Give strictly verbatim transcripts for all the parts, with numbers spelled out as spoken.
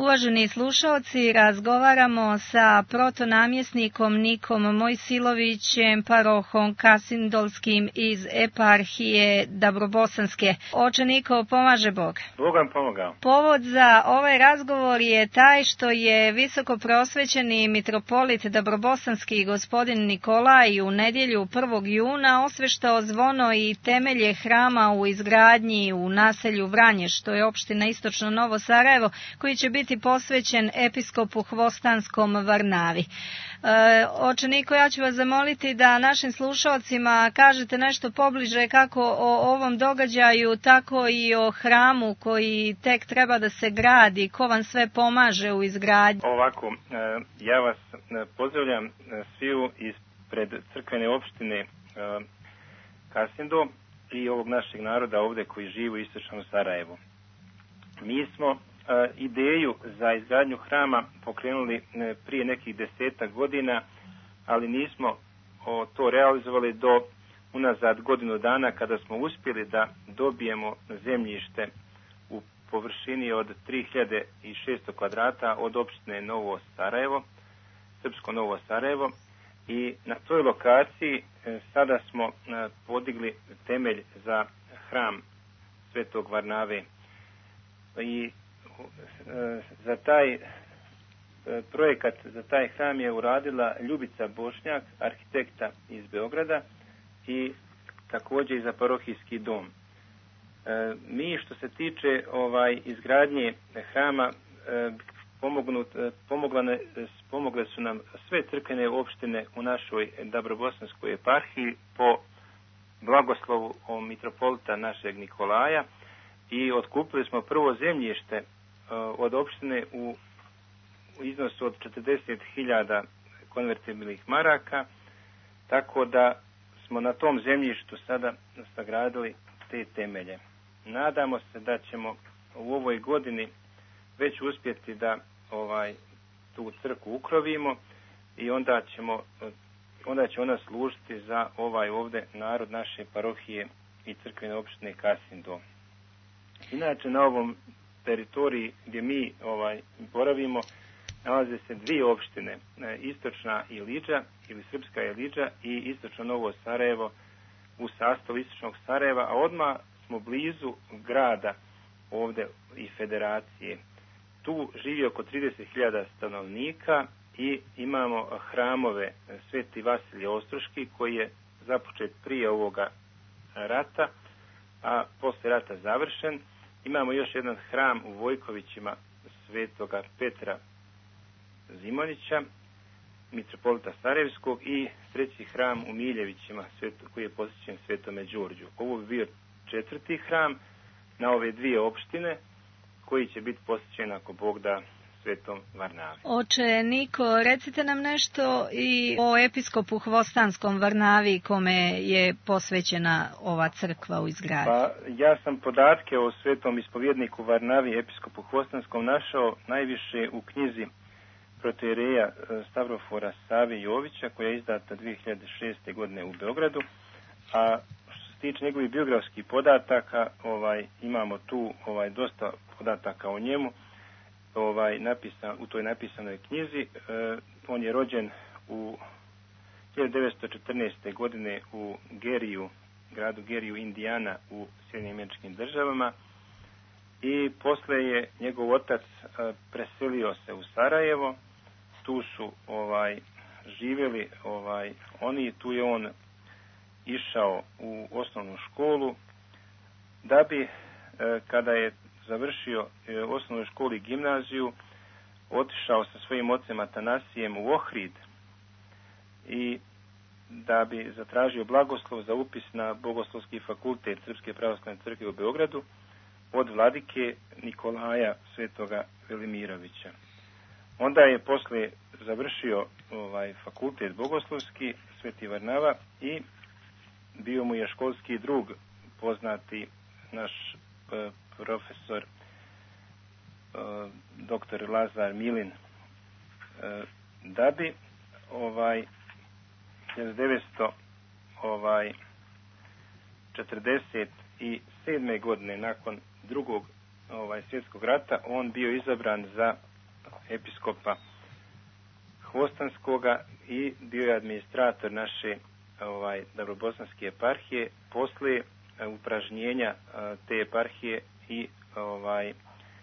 Uvaženi slušalci, razgovaramo sa protonamjesnikom Nikom Mojsilovićem, parohom Kasindolskim iz eparhije Dabrobosanske. Oče Niko, pomaže Bog. Bog vam pomogao. Povod za ovaj razgovor je taj što je visoko prosvećeni mitropolit Dabrobosanski gospodin Nikolaj u nedjelju prvog juna osveštao zvono i temelje hrama u izgradnji u naselju Vranje, što je opština Istočno Novo Sarajevo, koji će biti posvećen episkopu Hvostanskom Varnavi. E, oče Niko, ja ću vas zamoliti da našim slušalcima kažete nešto pobliže kako o ovom događaju, tako i o hramu koji tek treba da se gradi, ko vam sve pomaže u izgradnji. Ovako, ja vas pozdravljam sviju ispred crkvene opštine Kasindo i ovog našeg naroda ovdje koji živi u Istočnom Sarajevu. Mi smo ideju za izgradnju hrama pokrenuli prije nekih desetak godina, ali nismo to realizovali do unazad godinu dana kada smo uspjeli da dobijemo zemljište u površini od tri hiljade šesto kvadrata od opštine Novo Sarajevo, Srpsko Novo Sarajevo, i na toj lokaciji sada smo podigli temelj za hram Svetog Varnave. I za taj projekat, za taj hram je uradila Ljubica Bošnjak, arhitekta iz Beograda, i također i za parohijski dom. Mi što se tiče ovaj izgradnje hrama pomognut, pomogle, pomogle su nam sve crkvene opštine u našoj Dabrobosanskoj eparhiji po blagoslovu mitropolita našeg Nikolaja, i otkupili smo prvo zemljište od opštine u iznosu od četrdeset hiljada konvertibilnih maraka, tako da smo na tom zemljištu sada sagradili te temelje. Nadamo se da ćemo u ovoj godini već uspjeti da ovaj tu crkvu ukrovimo i onda ćemo onda će ona služiti za ovaj ovdje narod naše parohije i crkvene opštine Kasindo. Inače, na ovom teritoriji gdje mi ovaj boravimo nalaze se dvije opštine, Istočna Ilidža ili Srpska Ilidža i Istočno Novo Sarajevo u sastavu Istočnog Sarajeva, a odmah smo blizu grada ovdje i federacije. Tu živi oko trideset hiljada stanovnika i imamo hramove Sveti Vasilije Ostroški koji je započet prije ovoga rata, a poslije rata završen. Imamo još jedan hram u Vojkovićima Svetoga Petra Zimonića, mitropolita Sarajevskog, i treći hram u Miljevićima koji je posvećen Svetome Đurđu. Ovo bi bio četvrti hram na ove dvije opštine koji će biti posvećen, ako Bog da, Svetom Varnavi. Oče Niko, recite nam nešto i o episkopu Hvostanskom Varnavi kome je posvećena ova crkva u izgradnji. Pa, ja sam podatke o svetom ispovjedniku Varnavi, episkopu Hvostanskom, našao najviše u knjizi protoijereja Stavrofora Save Jovića, koja je izdata dvije hiljade šeste. godine u Beogradu, a što se tiče njegovih biografskih podataka, ovaj imamo tu ovaj dosta podataka o njemu. Ovaj napisan u toj napisanoj knjizi. E, on je rođen u hiljadu devetsto četrnaeste. godine u Geriju, gradu Geriju, Indijana, u Sjedinjenim Američkim Državama, i posle je njegov otac e, preselio se u Sarajevo. Tu su ovaj živjeli ovaj oni, tu je on išao u osnovnu školu, da bi e, kada je završio e, osnovnu školu i gimnaziju, otišao sa svojim ocem Atanasijem u Ohrid i da bi zatražio blagoslov za upis na Bogoslovski fakultet Srpske pravoslavne crkve u Beogradu od vladike Nikolaja Svetoga Velimirovića. Onda je posle završio ovaj fakultet bogoslovski Sveti Varnava i bio mu je školski drug, poznati naš e, profesor e, doktor Lazar Milin, e, da bi ovaj hiljadu devetsto četrdeset sedme. godine nakon drugog ovaj svjetskog rata on bio izabran za episkopa Hvostanskoga i bio je administrator naše ovaj, Dabrobosanske eparhije posle upražnjenja te eparhije i ovaj,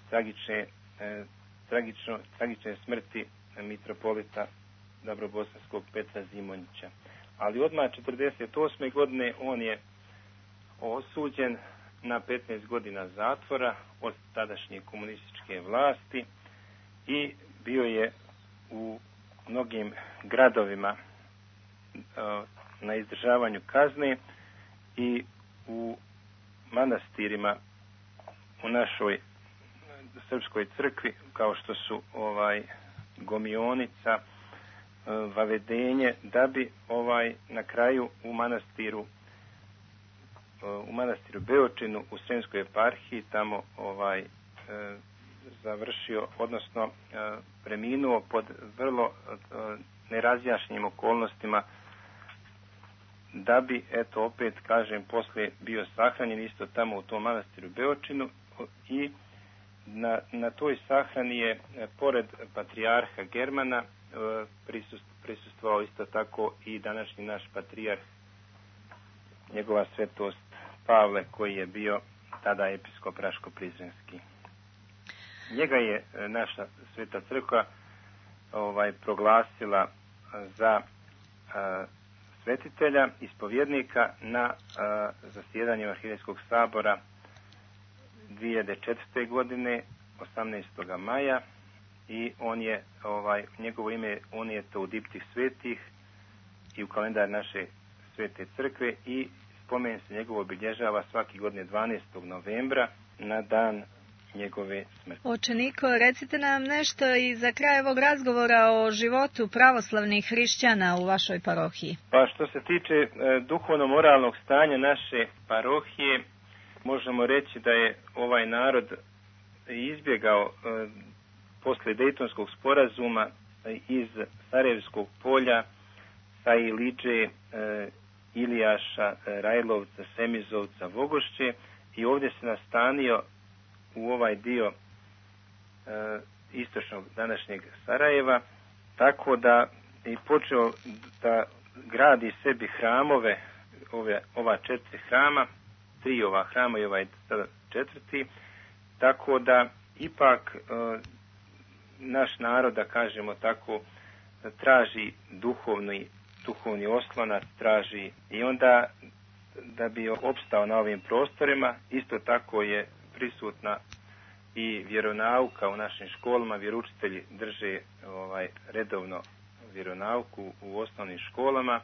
tragične, eh, tragično, tragične smrti mitropolita Dabrobosanskog Petra Zimonjića. Ali odmah četrdeset osme godine on je osuđen na petnaest godina zatvora od tadašnje komunističke vlasti i bio je u mnogim gradovima na izdržavanju kazne i u manastirima u našoj srpskoj crkvi, kao što su ovaj Gomionica, Vavedenje, da bi ovaj na kraju u manastiru u manastiru Beočinu u Sremskoj eparhiji tamo ovaj e, završio, odnosno e, preminuo pod vrlo e, nerazjašnjenim okolnostima, da bi, eto, opet kažem, posle bio sahranjen isto tamo u tom manastiru Beočinu i na, na toj sahrani je, pored patrijarha Germana, prisust, prisustvovao isto tako i današnji naš patrijarh, njegova svetost Pavle, koji je bio tada episkop Raško-Prizrenski. Njega je naša sveta crkva ovaj, proglasila za a, svetitelja, ispovjednika na a, zasjedanju Arhiveskog sabora dvije hiljade četvrte. godine, osamnaestog maja, i on je, ovaj, njegovo ime unijeto u diptih svetih i u kalendar naše svete crkve i spomen se njegovo obilježava svaki godine dvanaestog novembra na dan njegove smrti. Oče Niko, recite nam nešto i za kraj ovog razgovora o životu pravoslavnih hrišćana u vašoj parohiji. Pa što se tiče e, duhovno-moralnog stanja naše parohije, možemo reći da je ovaj narod izbjegao e, posle Dejtonskog sporazuma iz Sarajevskog polja, sa Iliđe, e, Ilijaša, Rajlovca, Semizovca, Vogošće, i ovdje se nastanio u ovaj dio e, istočnog današnjeg Sarajeva, tako da je počeo da gradi sebi hramove, ove, ova četiri hrama, tri ova hrama i ovaj četvrti, tako da ipak e, naš narod, da kažemo tako, traži duhovni, duhovni oslonac, traži, i onda da bi opstao na ovim prostorima, isto tako je prisutna i vjeronauka u našim školama. Vjeroučitelji drže ovaj, redovno vjeronauku u osnovnim školama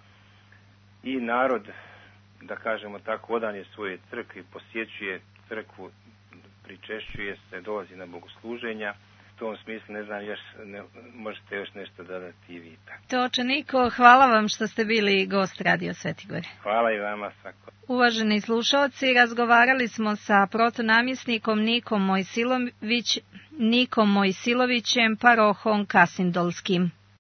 i narod, da kažemo tako, odan je svoje crkvi, posjećuje crkvu, pričešćuje se, dolazi na bogosluženja. U tom smislu, ne znam, još, ne, možete još nešto dodati i vi. To, oče Niko, hvala vam što ste bili gost Radio Sveti Gor. Hvala i vama svako. Uvaženi slušalci, razgovarali smo sa protonamjesnikom Nikom Mojsilović, Nikom Mojsilovićem, parohom Kasindolskim.